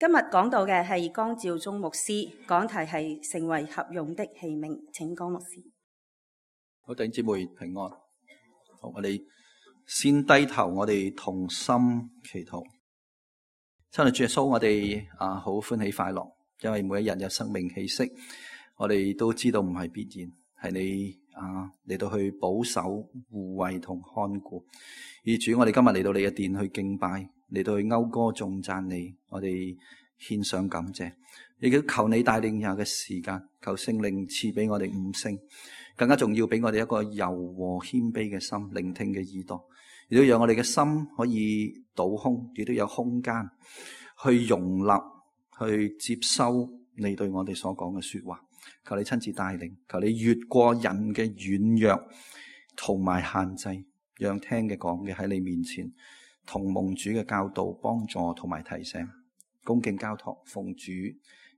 今日講到嘅係江照忠牧師，講題係成為合用的器皿。請江牧師。好，弟兄姊妹平安。好，我哋先低頭，我哋同心祈禱。親愛主耶穌，我哋好歡喜快樂，因為每一日有生命氣息，我哋都知道唔係必然，係你嚟到去保守、護衛同看顧。而主，我哋今日嚟到你嘅殿去敬拜，嚟到去謳歌頌讚你，我哋獻上感謝，亦都求你帶領以下嘅時間，求聖靈賜俾我哋悟性，更加重要俾我哋一個柔和謙卑嘅心，聆聽嘅耳朵，亦都讓我哋嘅心可以倒空，亦都有空間去容納、去接收你對我哋所講嘅說話。求你親自帶領，求你越過人嘅軟弱同埋限制，讓聽嘅講嘅喺你面前同蒙主嘅教導幫助同埋提醒，恭敬交託，奉主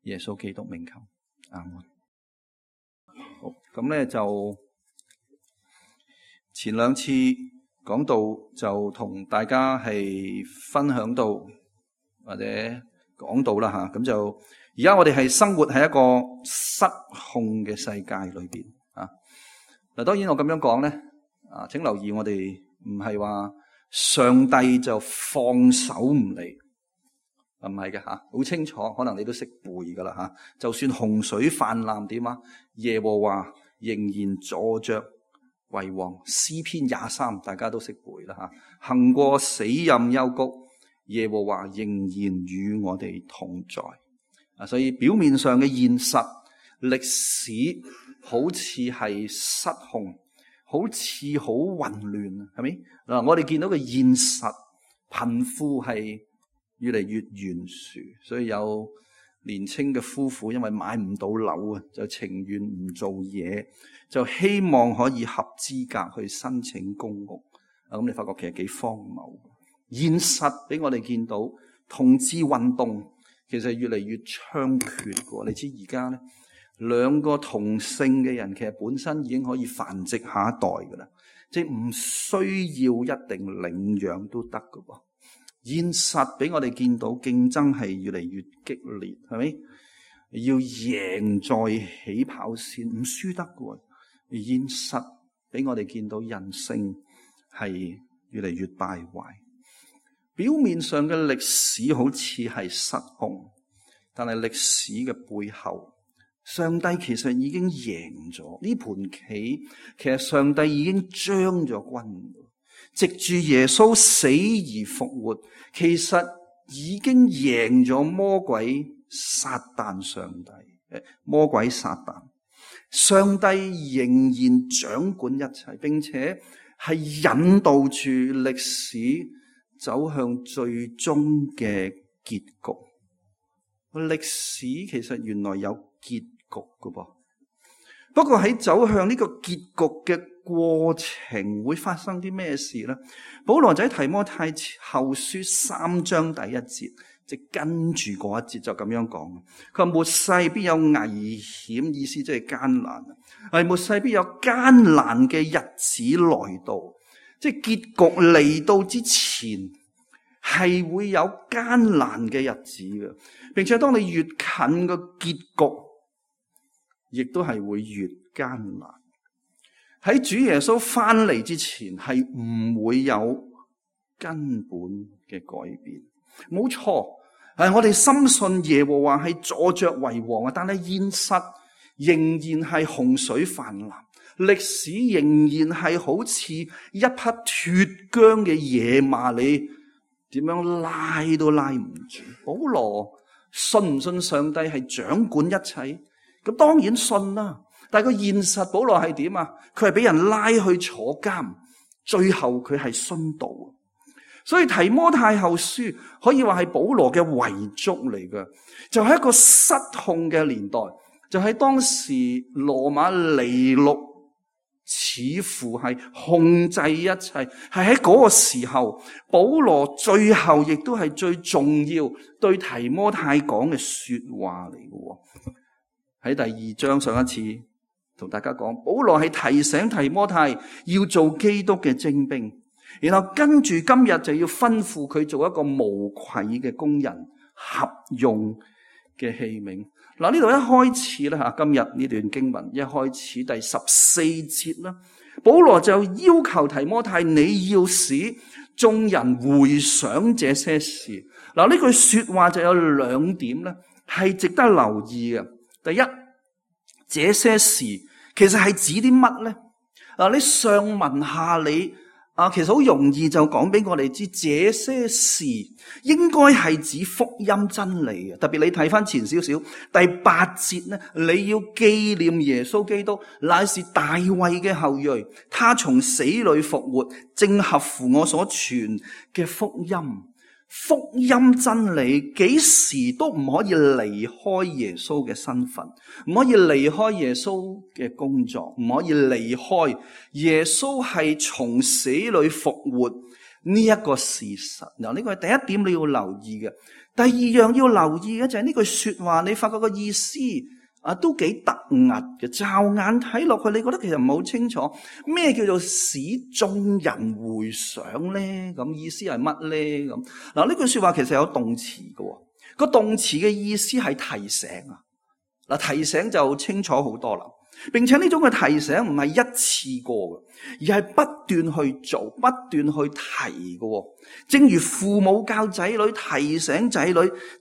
耶穌基督名求，阿門。好，咁咧就前兩次講到就同大家係分享到或者講到啦吓，咁就而家我哋係生活喺一個失控嘅世界裏邊啊。嗱，當然我咁樣講咧請留意，我哋唔係話上帝就放手唔理，唔係嘅吓，好清楚，可能你都識背噶啦吓。就算洪水泛濫點啊，耶和華仍然坐着為王。詩篇23大家都識背啦吓。行過死蔭幽谷，耶和華仍然與我哋同在。所以表面上嘅現實歷史好似係失控，好似好混亂，係咪？嗱，我哋見到嘅現實貧富係越嚟越懸殊，所以有年輕嘅夫婦因為買唔到樓啊，就情願唔做嘢，就希望可以合資格去申請公屋。咁你發覺其實幾荒謬。現實俾我哋見到同志運動其實越嚟越猖獗嘅。你知而家咧，兩個同性嘅人其實本身已經可以繁殖下一代噶啦，即係唔需要一定領養都得噶噃。現實俾我哋見到競爭係越嚟越激烈，係咪？要贏在起跑線，唔輸得嘅。現實俾我哋見到人性係越嚟越敗壞。表面上嘅歷史好似係失控，但係歷史嘅背後，上帝其實已經贏咗呢盤棋。其實上帝已經將咗軍，藉住耶穌死而復活，其實已經贏咗魔鬼撒旦上帝。魔鬼撒旦，上帝仍然掌管一切，並且係引導住歷史走向最終嘅結局。歷史其實原來有結局㗎噃，不過喺走向呢個結局嘅過程會發生啲咩事呢？保羅在提摩太後書3章第1節，即跟住嗰一節就咁樣講，佢話末世必有危險，意思即係艱難，係末世必有艱難嘅日子來到，即係結局嚟到之前係會有艱難嘅日子嘅，並且當你越近個結局，亦都係會越艱難。喺主耶穌翻嚟之前係唔會有根本嘅改變。冇錯，我哋深信耶和華係坐着為王啊，但係現實仍然係洪水泛濫，歷史仍然係好似一匹脫韁嘅野馬，你點樣拉都拉唔住。保羅信唔信上帝係掌管一切？咁當然信啦，但係個現實保羅係點啊？佢係俾人拉去坐監，最後佢係殉道。所以提摩太後書可以話係保羅嘅遺囑嚟嘅，就係一個失控嘅年代，就係當時羅馬尼祿似乎係控制一切，係喺嗰個時候，保羅最後亦都係最重要對提摩太講嘅說話嚟嘅。喺第2章上一次同大家講，保羅係提醒提摩太要做基督嘅精兵，然後跟住今日就要吩咐佢做一個無愧嘅工人，合用嘅器皿。嗱，呢度一開始咧，今日呢段經文一開始第14節啦，保羅就要求提摩太，你要使眾人回想這些事。嗱，呢句說話就有兩點咧，係值得留意嘅。第一，這些事其實係指啲乜咧？你上文下理其實好容易就講俾我哋知，這些事應該係指福音真理嘅。特別你睇翻前少少第8節咧，你要紀念耶穌基督乃是大衛嘅後裔，他從死裏復活，正合乎我所傳嘅福音。福音真理幾時都唔可以離開耶穌嘅身份，唔可以離開耶穌嘅工作，唔可以離開耶穌係從死裏復活呢一個事實。嗱，呢個係第一點你要留意嘅。第二樣要留意嘅就係呢句說話，你發覺個意思都幾突兀嘅，驟眼睇落去，你覺得其實唔係好清楚咩叫做使眾人回想咧？咁意思係乜咧？咁嗱，呢句說話其實有動詞嘅，個動詞嘅意思係提醒啊。嗱，提醒就清楚好多啦，並且呢種嘅提醒唔係一次過嘅，而係不斷去做，不斷去提嘅。正如父母教仔女，提醒仔女，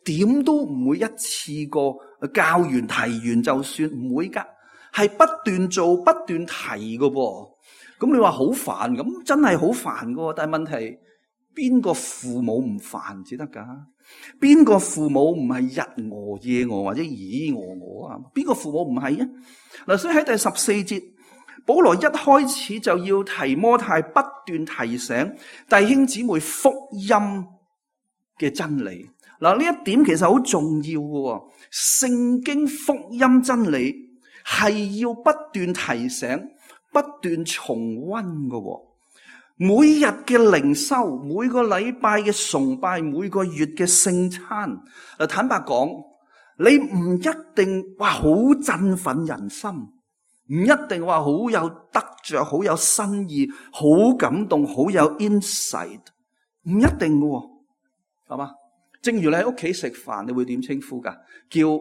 點都唔會一次過教完提完就算，唔會噶，係不斷做不斷提嘅噃。咁你話好煩，咁真係好煩嘅，但係問題邊個父母唔煩至得噶？邊個父母唔係日餓夜餓或者咦餓啊？邊個父母唔係啊？嗱，所以喺第14節，保羅一開始就要提摩太不斷提醒弟兄姊妹福音嘅真理。嗱，呢一點其實好重要嘅，聖經福音真理係要不斷提醒、不斷重溫嘅。每日嘅靈修，每個禮拜嘅崇拜，每個月嘅聖餐，坦白講，你唔一定話好振奮人心，唔一定話好有得着、好有新意、好感動、好有 insight， 唔一定嘅，係嘛？正如你喺屋企食飯，你會點稱呼噶？叫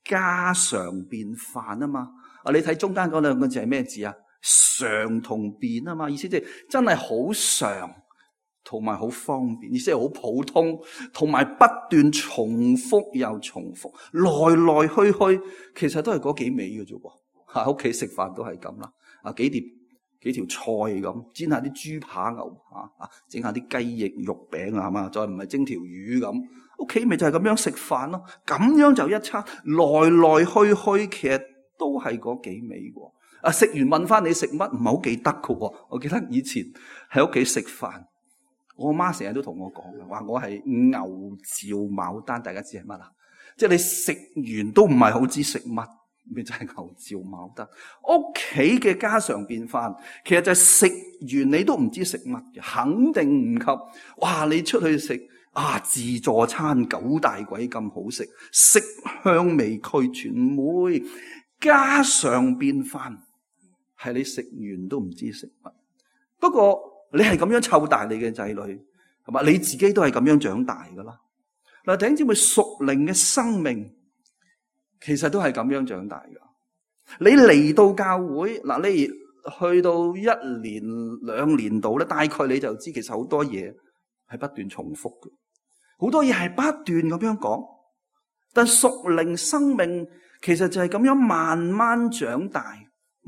家常便飯啊嘛。你睇中間嗰兩個字係咩字啊？常同便啊嘛，意思即係真係好常同埋好方便，意思係好普通，同埋不斷重複又重複，來來去去，其實都係嗰幾味嘅啫噃。喺屋企食飯都係咁啦，幾條菜咁，煎下啲豬扒牛扒，整下啲雞翼肉餅啊，係嘛，再唔係蒸條魚咁，屋企咪就係咁樣食飯咯。咁樣就一餐，來來去去，其實都係嗰幾味喎。食完問翻你食乜，唔係好記得嘅。我記得以前喺屋企食飯，我媽成日都同我講嘅，話我係牛嚼牡丹，大家知係乜啊？即係你食完都唔係好知食乜，咪就係牛嚼牡丹。屋企嘅家常便飯，其實就係食完你都唔知食乜嘅，肯定唔及。哇！你出去食自助餐九大簋咁好食，色香味俱全，唔會家常便飯。係你食完都唔知食乜，不過你係咁樣湊大你嘅仔女，係嘛？你自己都係咁樣長大噶啦。嗱，弟兄姊妹，屬靈嘅生命其實都係咁樣長大噶。你嚟到教會，嗱，你去到1年2年度咧，大概你就知其實好多嘢係不斷重複嘅，好多嘢係不斷咁樣講。但屬靈生命其實就係咁樣慢慢長大。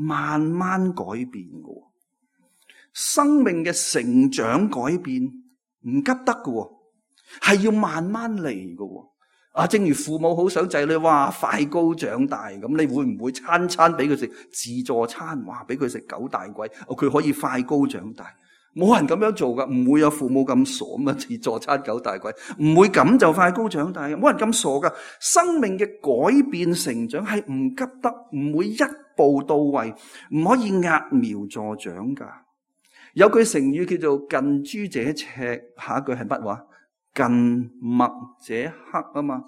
慢慢改變嘅，生命嘅成長改變唔急得嘅，係要慢慢嚟嘅。正如父母好想仔女快高長大咁，你會唔會餐餐俾佢食自助餐？俾佢食九大簋，佢可以快高長大？冇人咁樣做噶，唔會有父母咁傻咁啊！自助餐九大簋，唔會咁就快高長大嘅，冇人咁傻噶。生命嘅改變成長係唔急得，唔會一步到位，唔可以揠苗助長噶。有句成語叫做近朱者赤，下一句係乜話？近墨者黑啊嘛。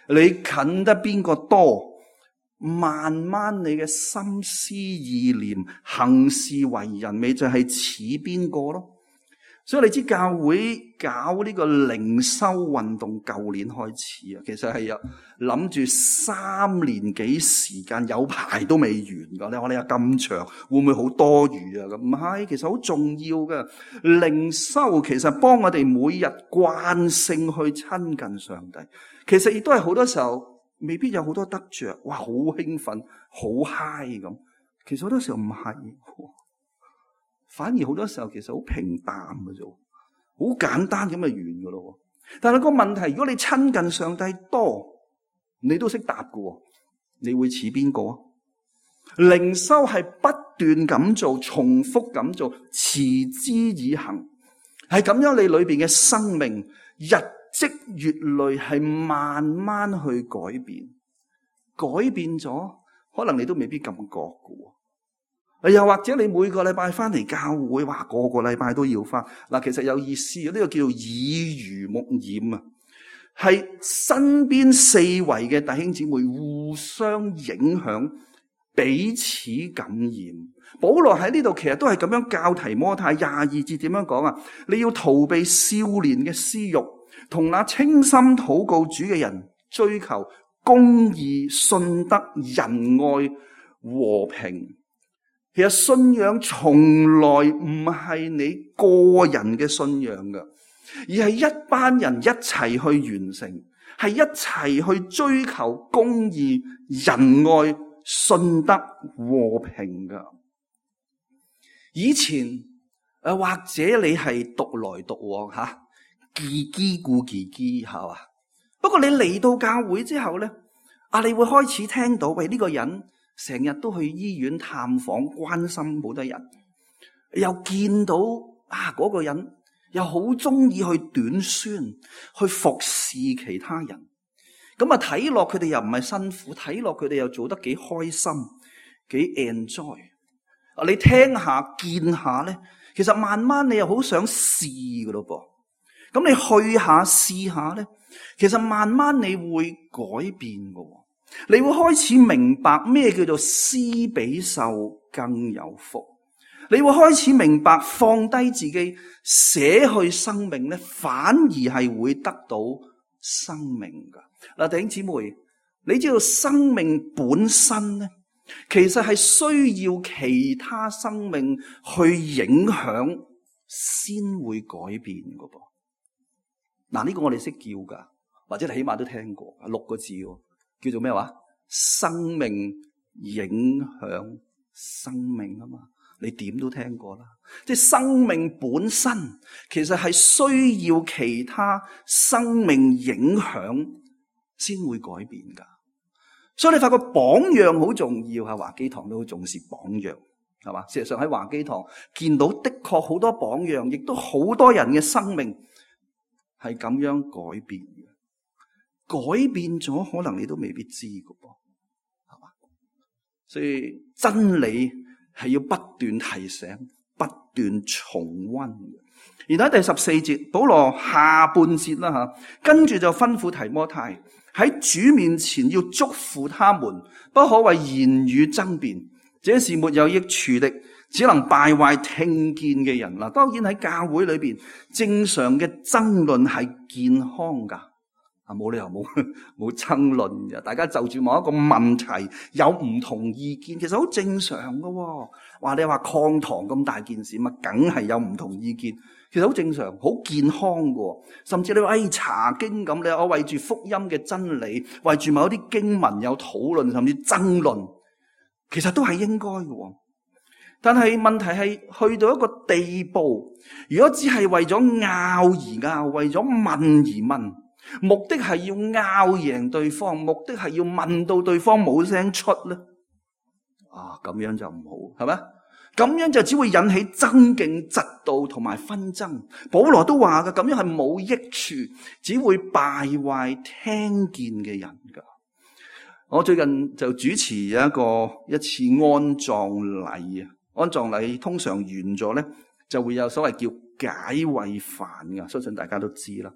你近得邊個多，慢慢你嘅心思意念、行事為人，咪就係似邊個咯。所以你知教會搞呢個靈修運動，舊年開始啊，其實係有諗住3年幾時間，有排都未完噶。你話你有咁長，會唔會好多餘啊？咁唔係，其實好重要嘅。靈修其實幫我哋每日慣性去親近上帝，其實亦都係好多時候未必有好多得着，哇，好興奮，好嗨咁。其實好多時候唔係。反而好多時候其實好平淡嘅啫，好簡單咁就完噶咯。但係個問題，如果你親近上帝多，你都識答嘅，你會似邊個啊？靈修係不斷咁做，重複咁做，持之以恆，係咁樣你裏邊嘅生命日積月累，係慢慢去改變，改變咗，可能你都未必咁覺嘅。又或者你每個禮拜翻嚟教會，哇，個個禮拜都要翻。嗱，其實有意思嘅，呢個叫做耳濡目染啊，係身邊四圍嘅弟兄姊妹互相影響，彼此感染。保羅喺呢度其實都係咁樣教提摩太22節點樣講啊？你要逃避少年嘅私欲，同那清心禱告主嘅人追求公義、信德、仁愛、和平。其實信仰從來唔係你個人嘅信仰㗎，而係一班人一齊去完成，係一齊去追求公義、仁愛、信德、和平㗎。以前或者你係獨來獨往吓，自己顧自己係嘛？不過你嚟到教會之後咧，你會開始聽到喂，呢個人成日都去醫院探訪，關心好多人，又見到嗰個人又好中意去短宣，去服侍其他人。咁睇落佢哋又唔係辛苦，睇落佢哋又做得幾開心，幾 enjoy。你聽下見下咧，其實慢慢你又好想試噶咯噃。咁你去下試下咧，其實慢慢你會改變噶。你會開始明白咩叫做施比受更有福。你會開始明白放低自己捨去生命咧，反而係會得到生命噶。嗱，弟兄姊妹，你知道生命本身咧，其實係需要其他生命去影響先會改變噶噃。嗱，呢個我哋識叫噶，或者你起碼都聽過，6個字叫做咩話？生命影響生命啊嘛，你點都聽過啦。即係生命本身其實係需要其他生命影響先會改變噶。所以你發覺榜樣好重要，喺華基堂都好重視榜樣，係嘛？事實上喺華基堂見到的確好多榜樣，亦都好多人嘅生命係咁樣改變嘅。改變咗，可能你都未必知㗎噃，係嘛？所以真理係要不斷提醒、不斷重溫嘅。而喺第14節，保羅下半節啦吓，跟住就吩咐提摩太喺主面前要囑咐他們，不可為言語爭辯，這是沒有益處的，只能敗壞聽見嘅人啦。當然喺教會裏邊，正常嘅爭論係健康噶。冇理由冇爭論嘅，大家就住某一個問題有唔同意見，其實好正常噶。話你話抗堂咁大件事，咪梗係有唔同意見，其實好正常，好健康噶。甚至你話查經咁，你我為住福音嘅真理，為住某一啲經文有討論，甚至爭論，其實都係應該嘅。但係問題係去到一個地步，如果只係為咗拗而拗，為咗問而問，目的係要拗贏對方，目的係要問到對方冇聲出咧，咁樣就唔好，係咪？咁樣就只會引起爭競、嫉妒同埋紛爭。保羅都話嘅，咁樣係冇益處，只會敗壞聽見嘅人噶。我最近就主持一次安葬禮啊，安葬禮通常完咗咧，就會有所謂叫解穢飯噶，相信大家都知啦。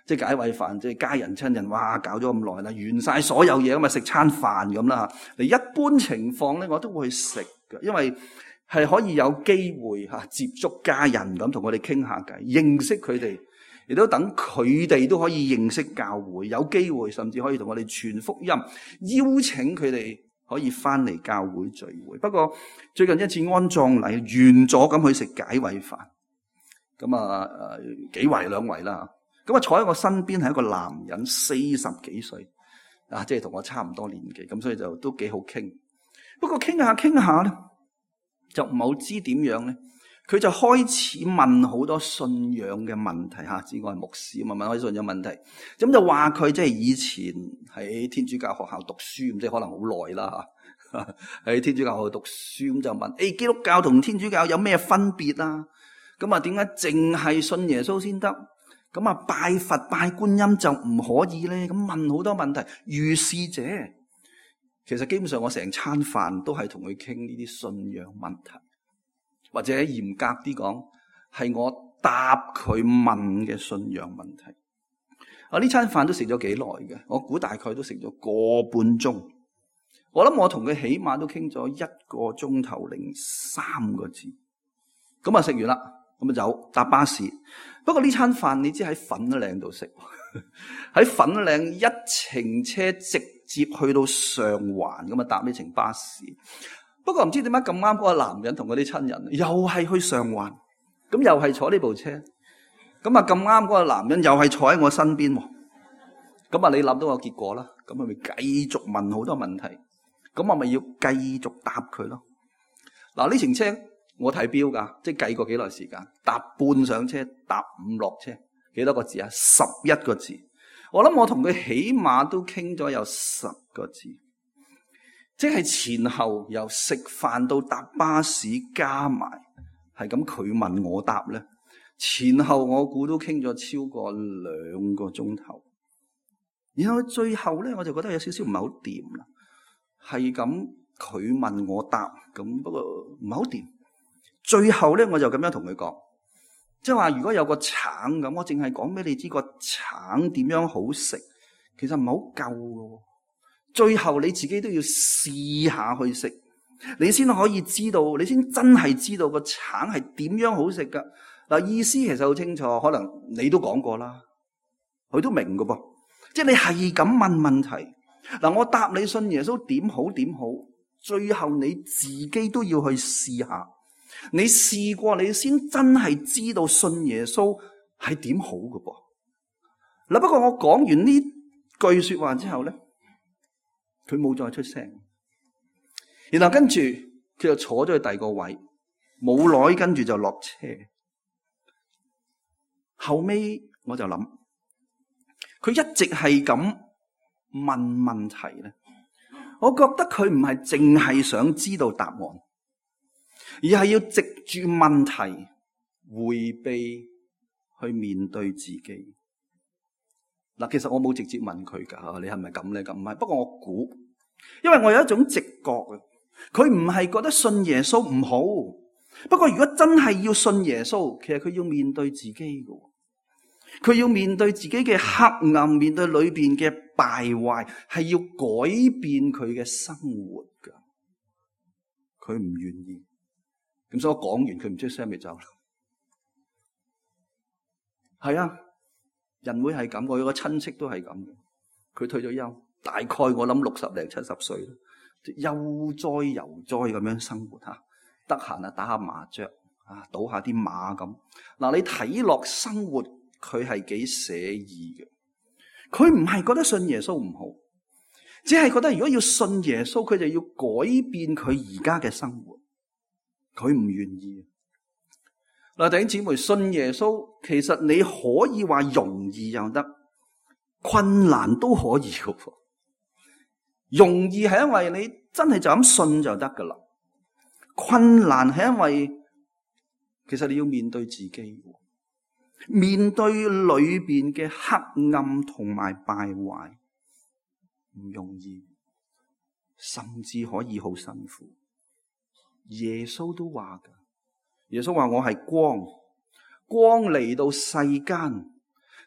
即係解穢飯，即係家人親人，哇，搞咗咁耐啦，完晒所有嘢咁啊，食餐飯咁啦。你一般情況咧，我都會去食嘅，因為係可以有機會接觸家人咁，同佢哋傾下偈，認識佢哋，亦都等佢哋都可以認識教會，有機會甚至可以同我哋傳福音，邀請佢哋可以翻嚟教會聚會。不過最近一次安葬禮完咗咁去食解穢飯，咁幾圍兩圍啦，咁坐喺我身邊係一個男人，40幾歲，即係同我差唔多年紀，咁所以就都幾好傾。不過傾下傾下咧，就唔好知點樣咧，佢就開始問好多信仰嘅問題吓，知我係牧師，問好多信仰問題，咁就話佢即係以前喺天主教學校讀書，咁即係可能好耐啦吓，喺天主教學校讀書，咁就問基督教同天主教有咩分別啊？咁點解淨係信耶穌先得？咁拜佛拜觀音就唔可以咧？咁問好多問題，如是者。其實基本上我成餐飯都係同佢傾呢啲信仰問題，或者嚴格啲講，係我答佢問嘅信仰問題。呢餐飯都食咗幾耐嘅，我估大概都食咗個半鐘。我諗我同佢起碼都傾咗1個鐘頭零3個字。咁食完啦，咁走搭巴士。不過呢餐飯你知喺粉嶺度食，喺粉嶺一程車直接去到上環，咁搭呢程巴士。不過唔知點解咁啱嗰個男人同嗰啲親人又係去上環，咁又係坐呢部車。咁咁啱嗰個男人又係坐喺我身邊。咁你諗到個結果啦，咁咪繼續問好多問題。咁我咪要繼續答佢咯。呢程車我睇表噶，即係計過幾耐時間，搭半上車，搭5落車，幾多個字啊？11個字。我諗我同佢起碼都傾咗有10個字，即係前後由食飯到搭巴士加埋，係咁佢問我答咧，前後我估都傾咗超過2個鐘頭。然後最後咧，我就覺得有少少唔係好掂啦，係咁佢問我答，咁不過唔係好掂。最後咧，我就咁樣同佢講，即係話如果有個橙咁，我淨係講俾你知個橙點樣好食，其實唔係好夠嘅。最後你自己都要試下去食，你先可以知道，你先真係知道個橙係點樣好食噶。意思其實好清楚，可能你都講過啦，佢都明㗎噃。即係你係咁問問題，我答你信耶穌點好點好，最後你自己都要去試下。你試過，你先真係知道信耶穌係點好㗎噃。不過我講完呢句說話之後咧，佢冇再出聲。然後跟住佢就坐咗去第二個位，冇耐跟住就落車。後尾我就諗，佢一直係咁問問題咧，我覺得佢唔係淨係想知道答案，而係要藉住問題回避去面對自己。其實我冇直接問佢噶，你係咪咁咧？咁唔係，不過我估，因為我有一種直覺啊，佢唔係覺得信耶穌唔好，不過如果真係要信耶穌，其實佢要面對自己噶，佢要面對自己嘅黑暗，面對裏邊嘅敗壞，係要改變佢嘅生活噶。佢唔願意，咁所以我講完，佢唔出聲咪走啦。係啊，人會係咁，我有個親戚都係咁嘅。佢退咗休，大概我諗60零70歲啦，悠哉悠哉咁樣生活吓，得閒啊打下麻雀啊，賭下啲馬咁。你睇落生活佢係幾寫意嘅。佢唔係覺得信耶穌唔好，只係覺得如果要信耶穌，佢就要改變佢而家嘅生活。佢唔願意。弟兄姊妹，信耶穌其實你可以話容易又得，困難都可以嘅。容易係因為你真係就咁信就得噶啦，困難係因為其實你要面對自己，面對裏邊嘅黑暗同埋敗壞，唔容易，甚至可以好辛苦。耶穌都話噶，耶穌話我係光，光嚟到世間，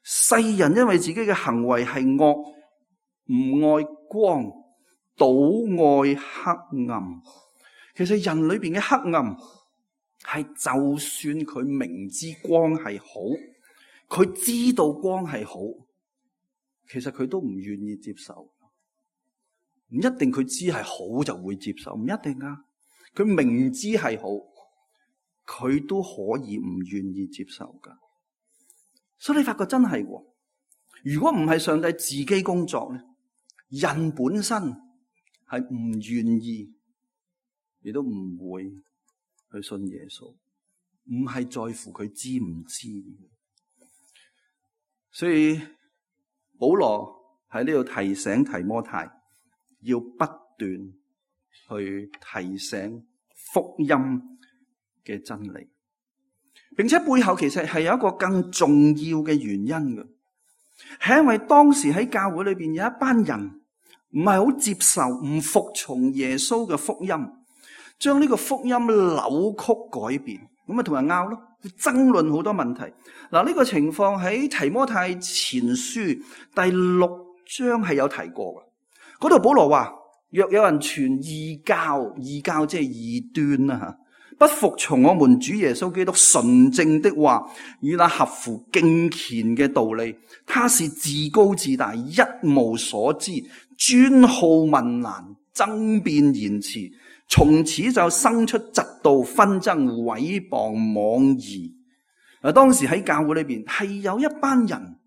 世人因為自己嘅行為係惡，唔愛光，倒愛黑暗。其實人裏邊嘅黑暗係就算佢明知光係好，佢知道光係好，其實佢都唔願意接受。唔一定佢知係好就會接受，唔一定啊。佢明知係好，佢都可以唔願意接受噶。所以你發覺真係，如果唔係上帝自己工作咧，人本身係唔願意，亦都唔會去信耶穌，唔係在乎佢知唔知。所以保羅喺呢度提醒提摩太，要不斷去提醒福音嘅真理，並且背後其實係有一個更重要嘅原因嘅，係因為當時喺教會裏邊有一班人唔係好接受、唔服從耶穌嘅福音，將呢個福音扭曲改變，咁咪同人拗咯，爭論好多問題。嗱，呢個情況喺提摩太前書第6章係有提過嘅。嗰度保羅話：若有人傳異教，異教即係異端啦吓，不服從我們主耶穌基督純正的話，與那合乎敬虔嘅道理，他是自高自大，一無所知，專好問難，爭辯言辭，從此就生出嫉妒、紛爭、毀謗、妄疑。當時喺教會裏邊係有一班人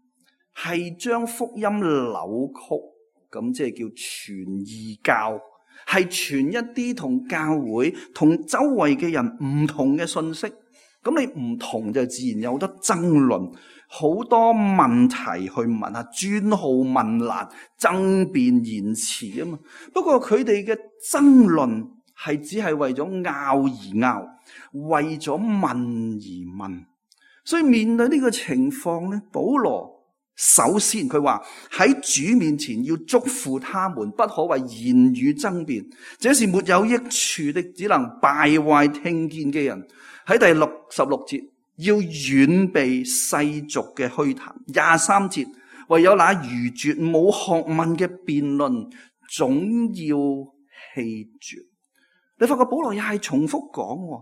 係將福音扭曲。咁即係叫傳異教，係傳一啲同教會、同周圍嘅人唔同嘅信息。咁你唔同就自然有好多爭論，好多問題去問下，專好問難，爭辯言辭啊嘛。不過佢哋嘅爭論係只係為咗拗而拗，為咗問而問。所以面對呢個情況咧，保羅首先佢話喺主面前要囑咐他們，不可為言語爭辯，這是沒有益處的，只能敗壞聽見嘅人。喺第16節要遠避世俗嘅虛談。23節唯有那愚拙冇學問嘅辯論，總要棄絕。你發覺保羅又係重複講，唔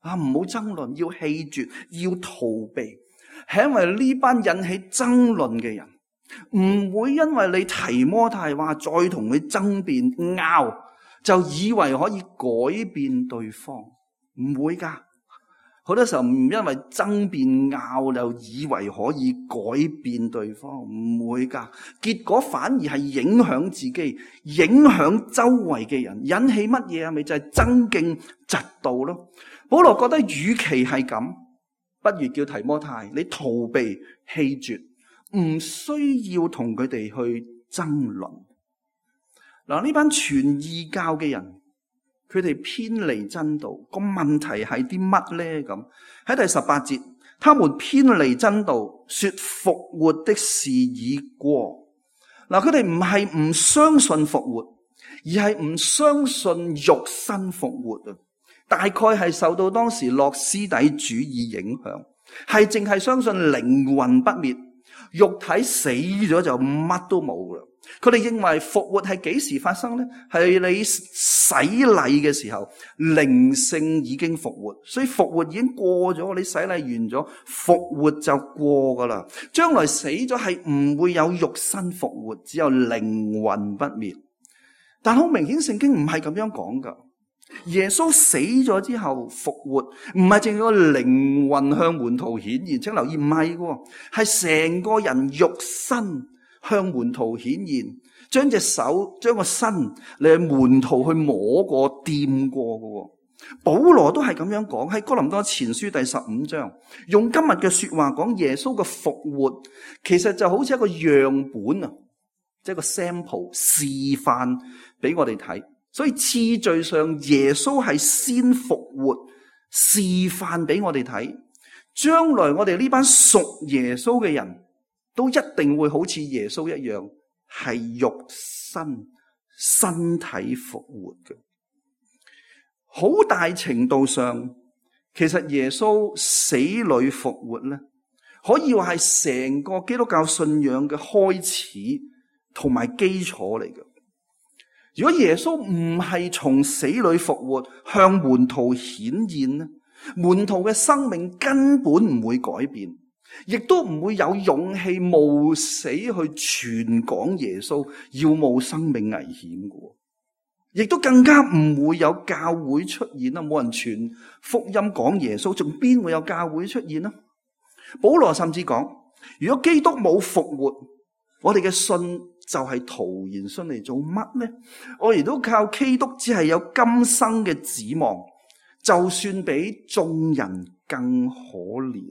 好爭論，要棄絕，要逃避。係因為呢班引起爭論嘅人，唔會因為你提摩太話再同佢爭辯拗，就以為可以改變對方，唔會噶。好多時候唔因為爭辯拗就以為可以改變對方，唔會噶。結果反而係影響自己，影響周圍嘅人，引起乜嘢啊？咪就係爭競嫉妒咯。保羅覺得與其係咁，不如叫提摩太你逃避棄絕，唔需要同佢哋去爭論。嗱，呢班傳異教嘅人，佢哋偏離真道，個問題係啲乜咧？咁喺第18節，他們偏離真道，說復活的事已過。嗱，佢哋唔係唔相信復活，而係唔相信肉身復活啊。大概係受到當時諾斯底主義影響，係淨係相信靈魂不滅，肉體死咗就乜都冇啦。佢哋認為復活係幾時發生呢？係你洗禮嘅時候，靈性已經復活，所以復活已經過咗。你洗禮完咗，復活就過噶啦。將來死咗係唔會有肉身復活，只有靈魂不滅。但好明顯聖經唔係咁樣講噶。耶穌死咗之後復活，唔係淨係個靈魂向門徒顯現，請留意，唔係嘅，係成個人肉身向門徒顯現，將隻手將個身嚟門徒去摸過掂過嘅。保羅都係咁樣講，喺哥林多前書第15章，用今日嘅說話講耶穌嘅復活，其實就好似一個樣本啊，即係個 sample 示範俾我哋睇。所以次序上耶穌係先復活，示範俾我哋睇。將來我哋呢班屬耶穌嘅人都一定會好似耶穌一樣，係肉身體復活嘅。好大程度上，其實耶穌死裏復活咧，可以話係成個基督教信仰嘅開始同埋基礎嚟嘅。如果耶穌唔係從死裏復活，向門徒顯現呢，門徒嘅生命根本唔會改變，亦都唔會有勇氣冒死去傳講耶穌，要冒生命危險嘅，亦都更加唔會有教會出現啦。冇人傳福音講耶穌，仲邊會有教會出現呢？保羅甚至講，如果基督冇復活，我哋嘅信就係徒然，信嚟做乜呢？我哋都靠基督，只係有今生嘅指望，就算比眾人更可憐。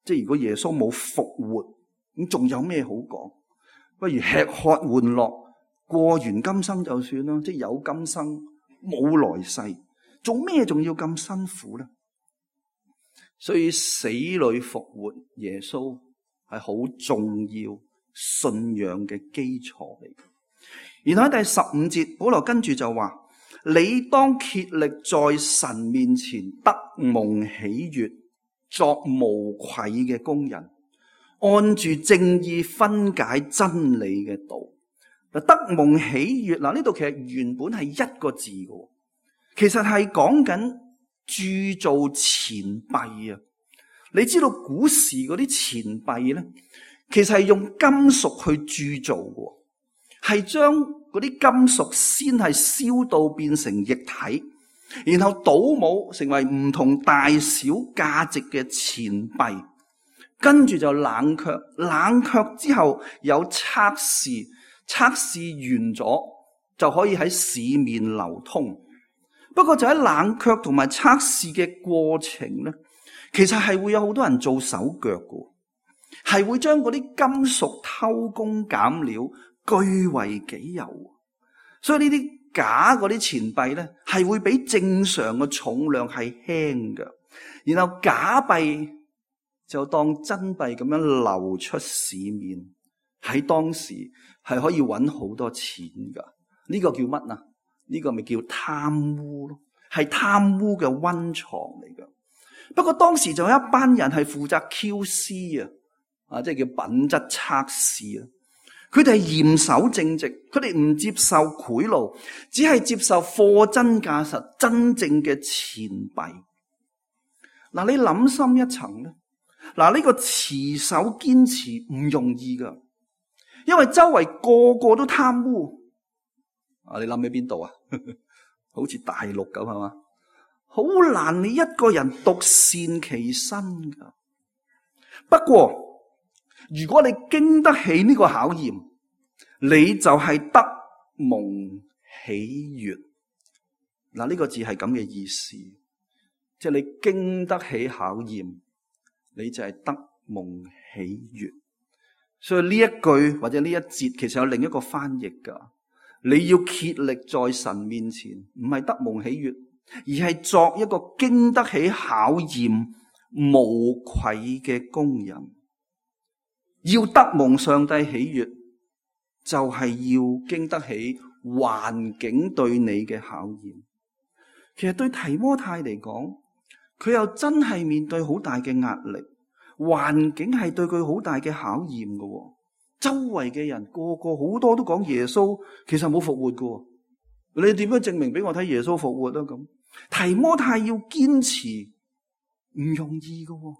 即係如果耶穌冇復活，咁仲有咩好講？不如吃喝玩樂，過完今生就算啦。即係有今生冇來世，做咩仲要咁辛苦呢？所以死裏復活，耶穌係好重要信仰嘅基礎嚟。然後喺第15節，保羅跟住就話：你當竭力在神面前得蒙喜悅，作無愧嘅工人，按住正義分解真理嘅道。得蒙喜悅，嗱，呢度其實原本係一個字嘅，其實係講緊鑄造錢幣啊。你知道古時嗰啲錢幣咧，其實係用金屬去鑄造嘅，係將嗰啲金屬先係燒到變成液體，然後倒模成為唔同大小價值嘅錢幣，跟住就冷卻，冷卻之後有測試，測試完咗就可以喺市面流通。不過就喺冷卻同埋測試嘅過程咧，其實係會有好多人做手腳嘅，係會將嗰啲金屬偷工減料，據為己有。所以呢啲假嗰啲錢幣咧，係會比正常嘅重量係輕嘅，然後假幣就當真幣咁樣流出市面，喺當時係可以揾好多錢噶。呢個叫乜啊？呢個咪叫貪污咯，係貪污嘅溫床嚟噶。不過當時就有一班人係負責 QC 啊，即係叫品質測試啊。佢哋係嚴守正直，佢哋唔接受賄賂，只係接受貨真價實真正嘅錢幣。嗱，你諗深一層咧，嗱，呢個持守堅持唔容易噶，因為周圍個個都貪污。啊，你諗起邊度啊？好似大陸咁係嘛？好難你一個人獨善其身噶。不過如果你經得起呢個考驗，你就係得蒙喜悅。嗱，呢個字係咁嘅意思，即係你經得起考驗，你就係得蒙喜悅。所以呢一句或者呢一節其實有另一個翻譯噶，你要竭力在神面前，唔係得蒙喜悅，而係作一個經得起考驗無愧嘅工人。要得蒙上帝喜悅，就係要經得起環境對你嘅考驗。其實對提摩太嚟講，佢又真係面對好大嘅壓力，環境係對佢好大嘅考驗嘅。周圍嘅人個個好多都講耶穌其實冇復活嘅，你點樣證明俾我睇耶穌復活啊？咁提摩太要堅持唔容易嘅，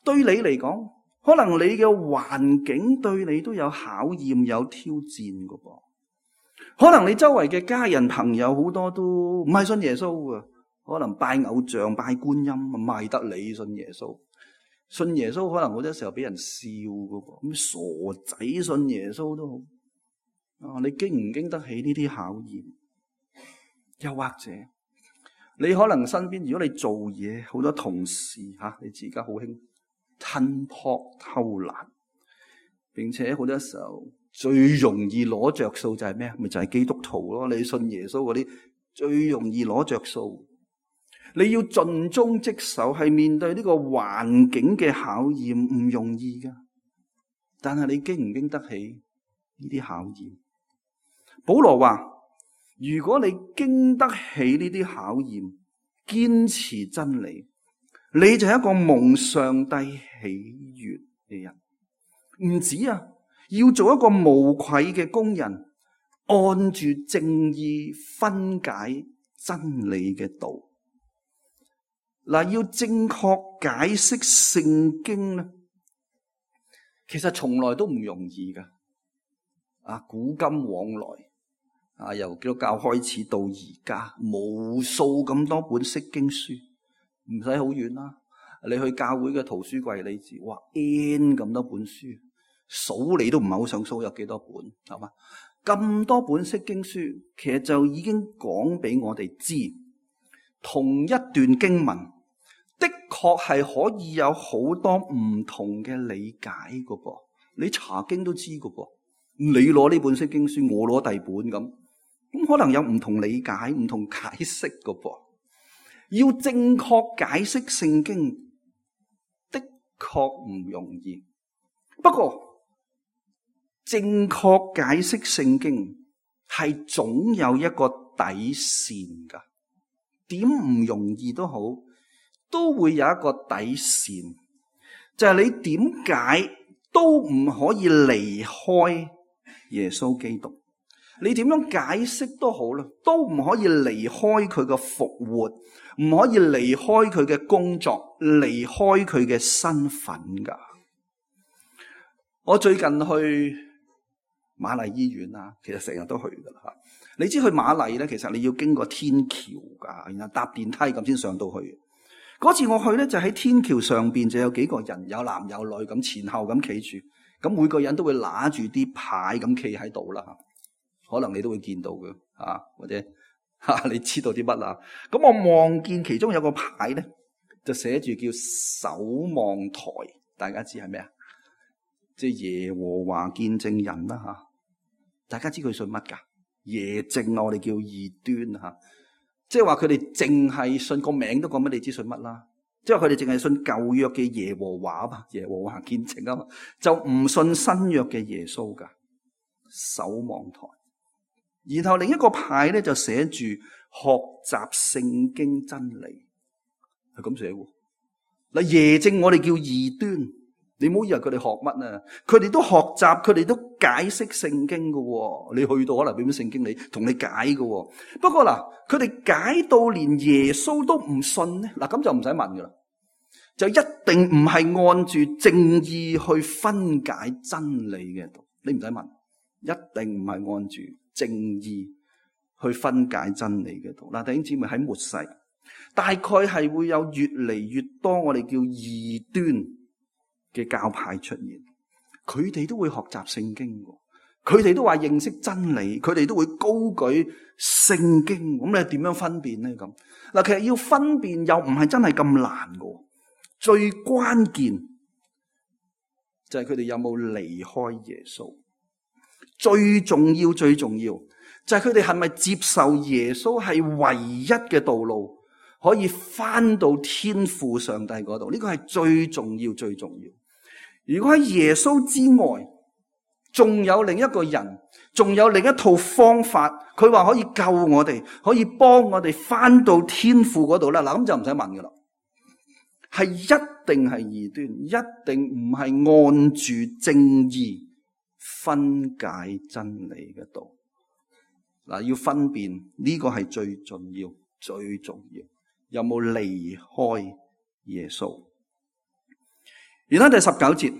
對你嚟講，可能你嘅環境對你都有考驗有挑戰嘅噃。可能你周圍嘅家人朋友好多都唔係信耶穌嘅，可能拜偶像拜觀音，賣得你信耶穌。信耶穌可能好多時候俾人笑嘅噃，咁傻仔信耶穌都好。你經唔經得起呢啲考驗？又或者你可能身邊，如果你做嘢好多同事你自己好興吞撲偷懶，並且好多時候最容易攞着數就係咩？咪就係基督徒咯。你信耶穌嗰啲最容易攞着數。你要盡忠職守，係面對呢個環境嘅考驗唔容易噶。但係你經唔經得起呢啲考驗？保羅話：如果你經得起呢啲考驗，堅持真理，你就係一個蒙上帝喜悅嘅人。唔止要做一個無愧嘅工人，按住正義分解真理嘅道。嗱，要正確解釋聖經咧，其實從來都唔容易噶。古今往來，由基督教開始到而家，無數咁多本釋經書，唔使好遠啦。你去教會嘅圖書櫃，你知哇 N 咁多本書，數你都唔係好想數有幾多本，係嘛？咁多本釋經書，其實就已經講俾我哋知，同一段經文的確係可以有好多唔同嘅理解噶噃。你查經都知噶噃，你攞呢本釋經書，我攞第二本咁可能有唔同理解、唔同解釋噶噃。要正確解釋聖經的確唔容易，不過正確解釋聖經係總有一個底線噶，點唔容易都好，都會有一個底線，就係你點解都唔可以離開耶穌基督，你點樣解釋都好啦，都唔可以離開佢嘅復活，唔可以離開佢嘅工作，離開佢嘅身份噶。我最近去瑪麗醫院啊，其實成日都去噶啦。你知去瑪麗咧，其實你要經過天橋噶，然後搭電梯咁先上到去。嗰次我去咧，就喺天橋上邊就有幾個人，有男有女咁前後咁企住，咁每個人都會拿住啲牌咁企喺度啦。可能你都會見到嘅，或者你知道啲乜啦？咁我望見其中有個牌咧，就寫住叫守望台，大家知係咩啊？即係耶和華見證人啦吓，大家知佢信乜噶？耶證我哋叫異端吓，即係話佢哋淨係信個名都講乜，你知信乜啦？即係佢哋淨係信舊約嘅耶和華啊嘛，耶和華見證啊嘛，就唔信新約嘅耶穌噶。守望台，然後另一個牌咧就寫住學習聖經真理，係咁寫喎。嗱，耶證我哋叫異端。你唔好以為佢哋學乜啊，佢哋都學習，佢哋都解釋聖經噶。你去到可能俾本聖經你，同你解噶。不過嗱，佢哋解到連耶穌都唔信咧，嗱咁就唔使問噶啦，就一定唔係按住正義去分解真理嘅道。你唔使問，一定唔係按住正義去分解真理嘅道。嗱，弟兄姊妹，喺末世，大概係會有越嚟越多我哋叫異端嘅教派出現，佢哋都會學習聖經，佢哋都話認識真理，佢哋都會高舉聖經。咁你點樣分辨呢？咁嗱，其實要分辨又唔係真係咁難嘅，最關鍵就係佢哋有冇離開耶穌。最重要就係佢哋係咪接受耶穌係唯一嘅道路，可以翻到天父上帝嗰度？呢個係最重要。如果喺耶穌之外，仲有另一個人，仲有另一套方法，佢話可以救我哋，可以幫我哋翻到天父嗰度啦。嗱，咁就唔使問噶啦，係一定係異端，一定唔係按住正義分解真理嘅道。嗱，要分辨呢個係最重要，有冇離開耶穌？然後第19節，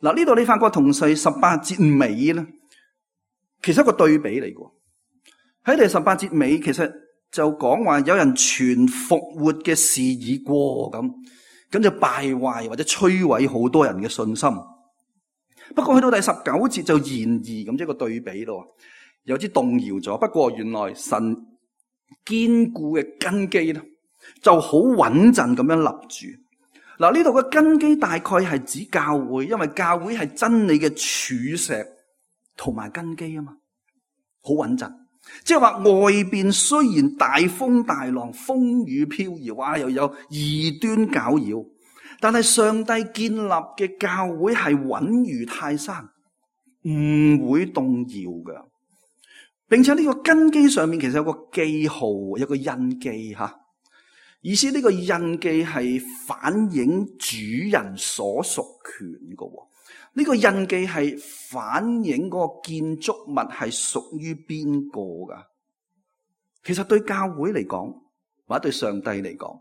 嗱，呢度你發覺同第18節尾咧，其實一個對比嚟嘅。喺第18節尾，其實就講話有人傳復活嘅事已過，咁就敗壞或者摧毀好多人嘅信心。不過去到第19節就然而咁，即係個對比咯，有啲動搖咗。不過原來神堅固嘅根基咧，就好穩陣咁樣立住。嗱，呢度嘅根基大概係指教會，因為教會係真理嘅柱石同埋根基啊嘛，好穩陣。即係話外邊雖然大風大浪、風雨飄搖，又有異端攪擾，但係上帝建立嘅教會係穩如泰山，唔會動搖嘅。並且呢個根基上面其實有個記號，有個印記吓。意思呢個印記係反映主人所屬權嘅。呢個印記係反映嗰個建築物係屬於邊個噶？其實對教會嚟講，或者對上帝嚟講，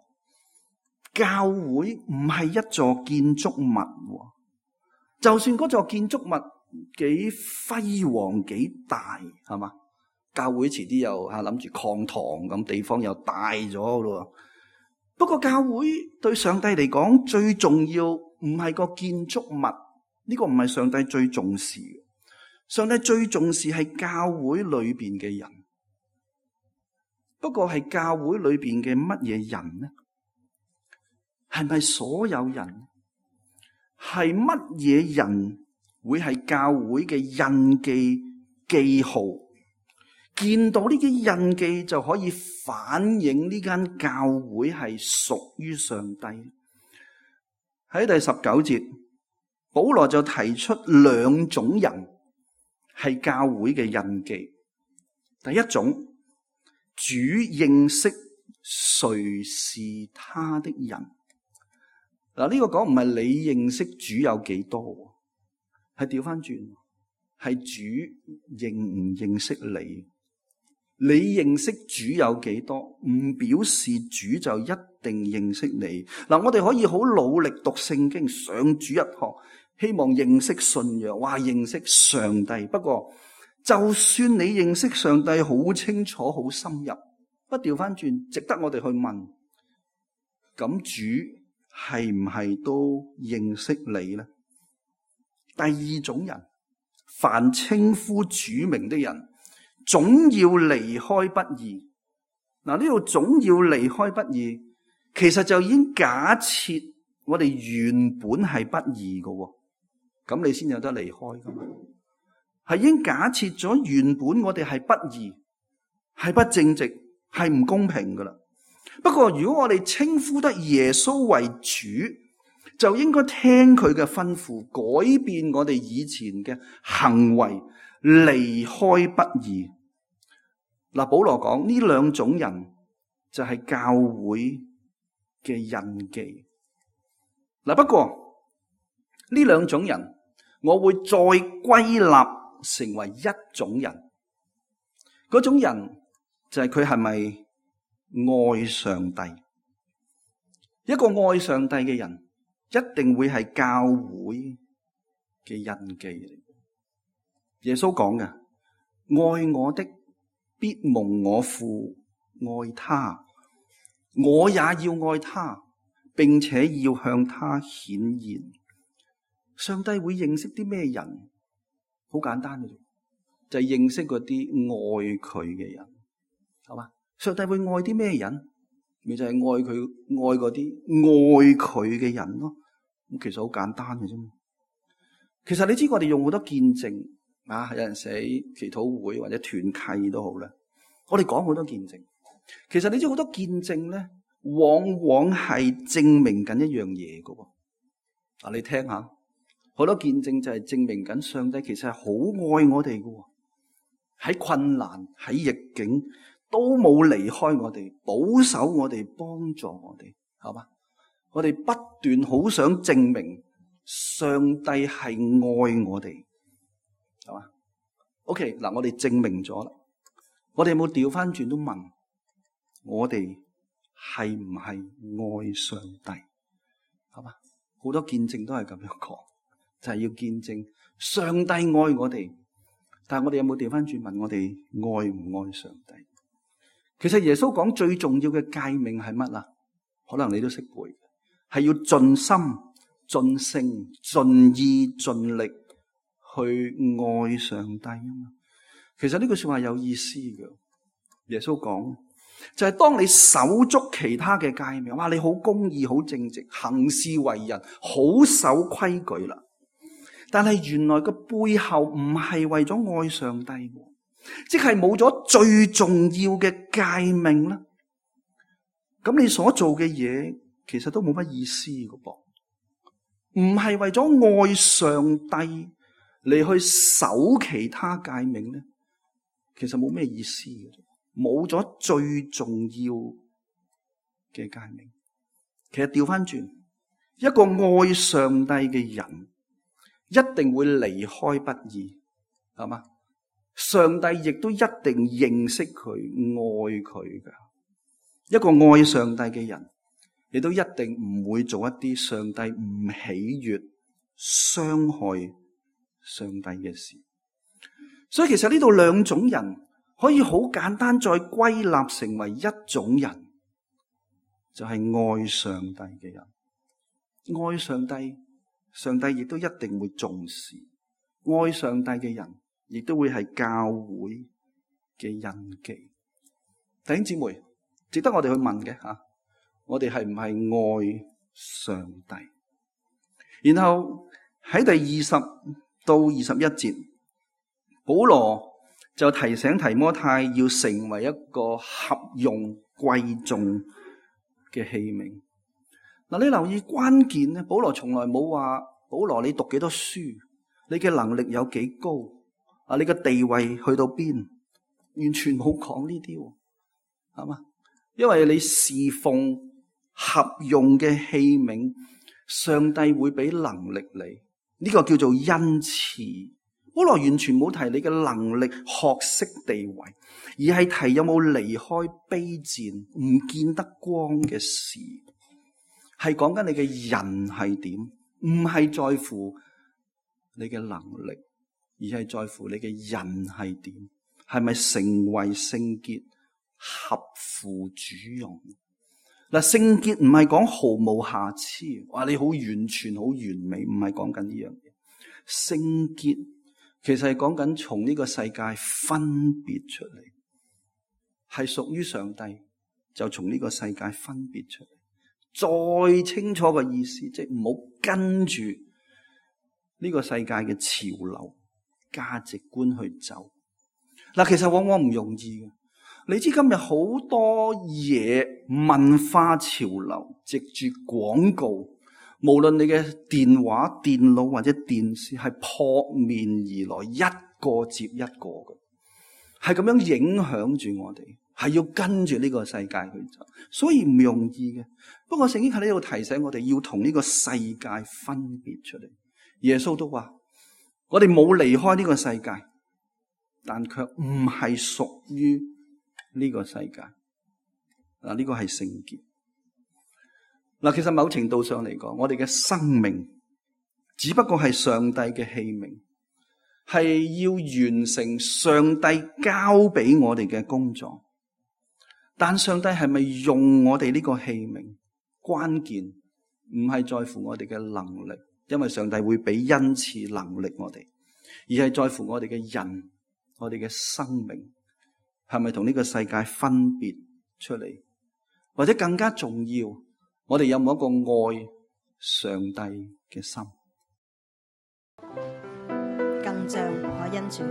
教會唔係一座建築物，就算嗰座建築物幾輝煌幾大，係嘛？教會遲啲又諗住擴堂咁，地方又大咗咯。不過教會對上帝嚟講最重要唔係個建築物，呢個唔係上帝最重視嘅。上帝最重視係教會裏邊嘅人。不過係教會裏邊嘅乜嘢人呢？係咪所有人？係乜嘢人會係教會嘅印記記號？見到呢啲印記就可以反映呢間教會係屬於上帝。喺第19節，保羅就提出兩種人係教會嘅印記。第一種，主認識誰是他的人。嗱，呢個講唔係你認識主有幾多，係調翻轉，係主認唔認識你。你認識主有幾多，唔表示主就一定認識你。嗱，我哋可以好努力讀聖經，上主日學，希望認識信仰，話認識上帝。不過，就算你認識上帝好清楚、好深入，不調翻轉，值得我哋去問：咁主係唔係都認識你呢？第二種人，凡稱呼主名的人，總要離開不義。嗱，呢度總要離開不義，其實就已經假設我哋原本係不義嘅，咁你先有得離開噶嘛？係已經假設咗原本我哋係不義，係不正直，係唔公平噶啦。不過如果我哋稱呼得耶穌為主，就應該聽佢嘅吩咐，改變我哋以前嘅行為，離開不義。嗱，保羅講呢兩種人就係教會嘅印記。嗱，不過呢兩種人，我會再歸納成為一種人。嗰種人就係佢係咪愛上帝？一個愛上帝嘅人，一定會係教會嘅印記嚟。耶穌講嘅，愛我的，必蒙我父愛他，我也要愛他，並且要向他顯現。上帝會認識啲咩人？好簡單嘅啫，就係認識嗰啲愛佢嘅人，係嘛？上帝會愛啲咩人？咪就係愛佢，愛嗰啲愛佢嘅人咯。咁其實好簡單嘅啫。其實你知我哋用好多見證啊，有人寫祈禱會或者團契都好啦。我哋講好多見證，其實你知好多見證咧，往往係證明緊一樣嘢㗎。嗱，你聽下，好多見證就係證明緊上帝其實係好愛我哋㗎，喺困難喺逆境都冇離開我哋，保守我哋，幫助我哋，係嘛？我哋不斷好想證明上帝係愛我哋，係嘛 ？OK， 嗱，我哋證明咗啦，我哋有冇調翻轉都問我哋係唔係愛上帝？係嘛？好多見證都係咁樣講，就係要見證上帝愛我哋，但係我哋有冇調翻轉問我哋愛唔愛上帝？其實耶穌講最重要嘅誡命係乜啊？可能你都識背，係要盡心、盡性、盡意、盡力去愛上帝啊嘛。其實呢句說話有意思嘅。耶穌講就係當你守足其他嘅誡命，哇，你好公義、好正直，行事為人好守規矩啦。但係原來個背後唔係為咗愛上帝，即係冇咗最重要嘅誡命啦。咁你所做嘅嘢其實都冇乜意思嘅噃，唔係為咗愛上帝嚟去守其他誡命咧，其實冇咩意思嘅，冇咗最重要嘅誡命。其實調翻轉，一個愛上帝嘅人，一定會離開不義，係嘛？上帝亦都一定認識佢、愛佢㗎。一個愛上帝嘅人，亦都一定唔會做一啲上帝唔喜悅、傷害上帝嘅事。所以其實呢度兩種人可以好簡單再歸納成為一種人，就係愛上帝嘅人。愛上帝，上帝亦都一定會重視。愛上帝嘅人，亦都會係教會嘅印記。弟兄姊妹，值得我哋去問嘅吓，我哋係唔係愛上帝？然後喺第20到21節，保羅就提醒提摩太要成為一個合用貴重嘅器皿。嗱，你留意關鍵咧，保羅從來冇話保羅你讀幾多書，你嘅能力有幾高啊，你嘅地位去到邊，完全冇講呢啲，係嘛？因為你侍奉合用嘅器皿，上帝會俾能力你，呢個叫做恩賜。保羅完全冇提你嘅能力、學識、地位，而係提有冇離開卑賤、唔見得光嘅事，係講緊你嘅人係點，唔係在乎你嘅能力，而係在乎你嘅人係點，係咪成為聖潔、合乎主用。嗱，聖潔唔係講毫無瑕疵，話你好完全、好完美，唔係講緊呢樣嘢。聖潔其實係講緊從呢個世界分別出嚟，係屬於上帝，就從呢個世界分別出嚟。再清楚嘅意思，即係唔好跟住呢個世界嘅潮流、價值觀去走。嗱，其實往往唔容易嘅。你知今日好多嘢文化潮流，藉住廣告，無論你嘅電話、電腦或者電視，係撲面而來，一個接一個嘅，係咁樣影響住我哋，係要跟住呢個世界去走，所以唔容易嘅。不過聖經喺呢度提醒我哋，要同呢個世界分別出嚟。耶穌都話：我哋冇離開呢個世界，但卻唔係屬於呢個世界。嗱，呢個係聖潔。嗱，其實某程度上嚟講，我哋嘅生命只不過係上帝嘅器皿，係要完成上帝交俾我哋嘅工作。但上帝係咪用我哋呢個器皿？關鍵唔係在乎我哋嘅能力，因為上帝會俾恩賜能力我哋，而係在乎我哋嘅人，我哋嘅生命係咪同呢個世界分別出嚟？或者更加重要，我哋有冇一個愛上帝嘅心？更像我恩主。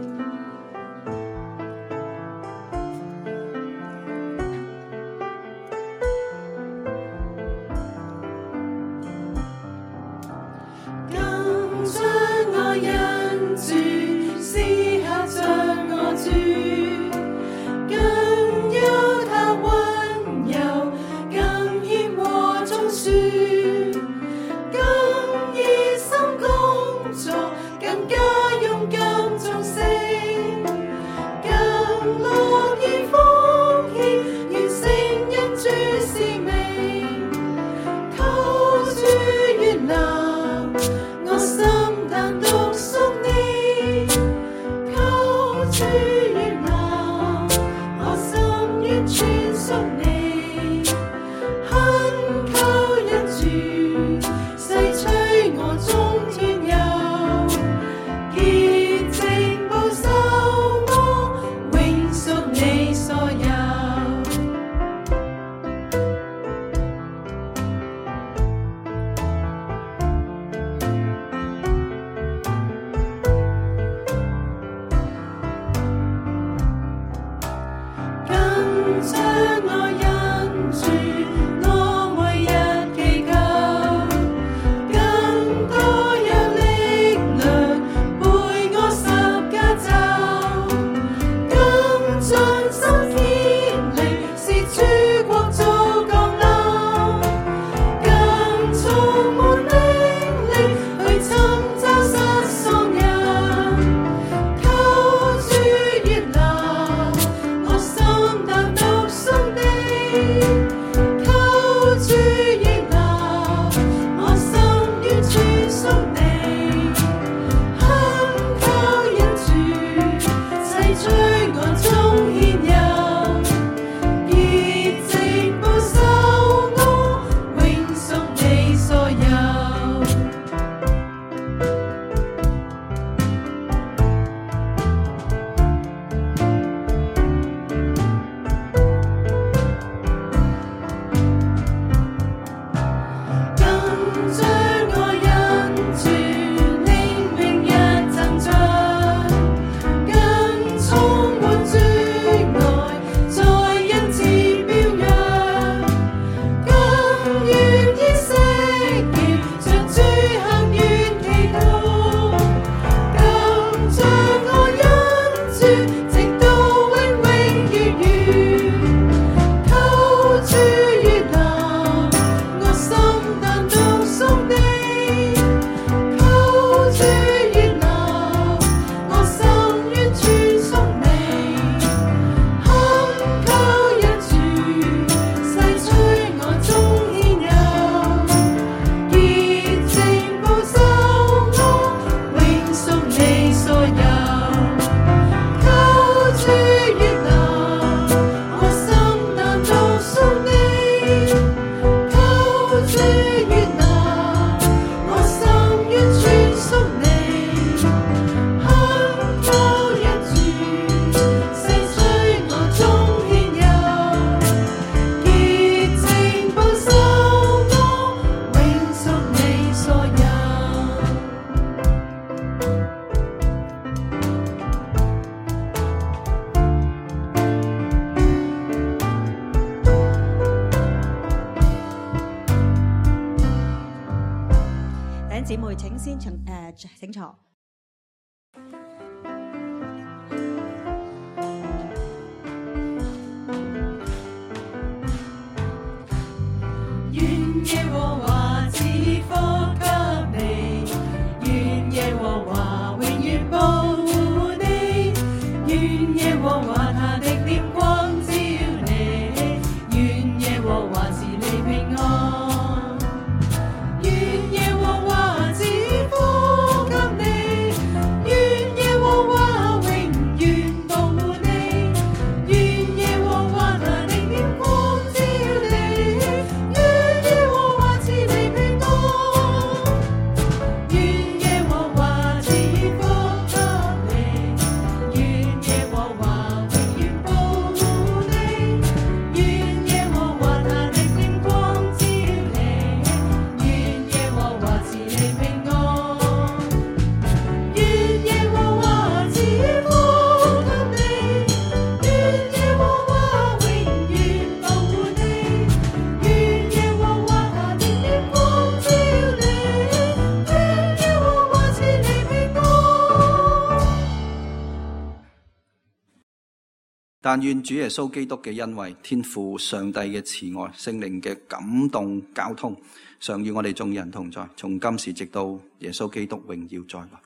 姊妹請先請坐。願耶和華賜福給你，願耶和華永遠保護你，願耶和華他的臉光照你，願耶和華賜你平安，願耶和華賜福給你，願耶和華永遠保護你，願耶和華他的臉光照你，願耶和華賜你平安，願耶和華賜福給你，願耶和華永遠保護你，願耶和華他的臉光照你，願耶和華賜你平安，願耶和華賜福給你，願耶和華永遠保護你，願耶和華他的臉光照你，願耶和華賜你平安。但願主耶穌基督嘅恩惠、天父上帝嘅慈愛、聖靈嘅感動交通，常與我哋眾人同在，從今時直到耶穌基督榮耀再來。